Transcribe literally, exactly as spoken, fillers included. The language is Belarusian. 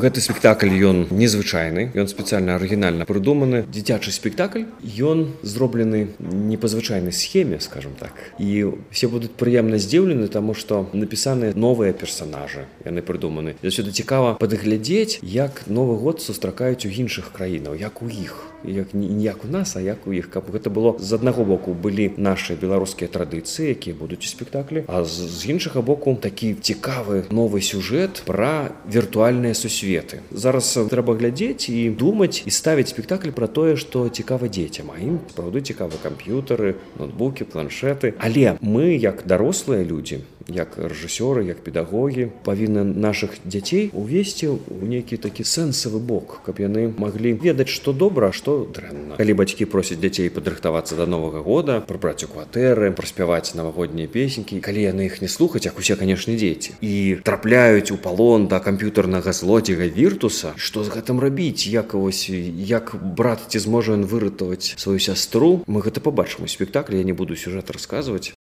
Гэты спектакль ён незвычайны, ён спецыяльна арыгінальна прыдуманы. Дзіцячы спектакль, ён зроблены не па звычайнай схеме, скажем так. І все будуць прыемна здзіўлены, таму што напісаны новыя персанажы, яны прыдуманы. Заўсёды цікава падглядзець, як Новы год сустракаюць у іншых краінаў, як у іх. Як, не як у нас, а як у іх. Каб гэта было з аднаго боку былі нашы беларускія традыцыі, якія будуць у спектаклі, а з, з іншага боку такі цікавы новы сюжэт пра віртуальныя сусветы. Зараз трэба глядзець і думаць і ставіць спектакль пра тое, што цікава дзецям. А ім сапраўды цікавы камп'ютары, ноутбукі, планшеты. Але мы, як дарослыя людзі, як рэжысёры, як педагогі, павінны нашых дзяцей увесці ў нейкі такі сэнсавы бок, каб яны маглі ведаць, што добра, а што дрэнна. Калі бацькі просяць дзяцей падрыхтавацца да Новага года, прыбраць у кватэры, праспяваць навагоднія песенькі, калі яны іх не слухаць, як усе, канешне, дзеці, і трапляюць у палон да камп'ютарнага злодзея Віртуса, што з гэтым рабіць, як вось, як брат ці зможа ён выратаваць сваю сястру, мы гэта пабачым у спектаклі, я не буду сюжэт расказваць.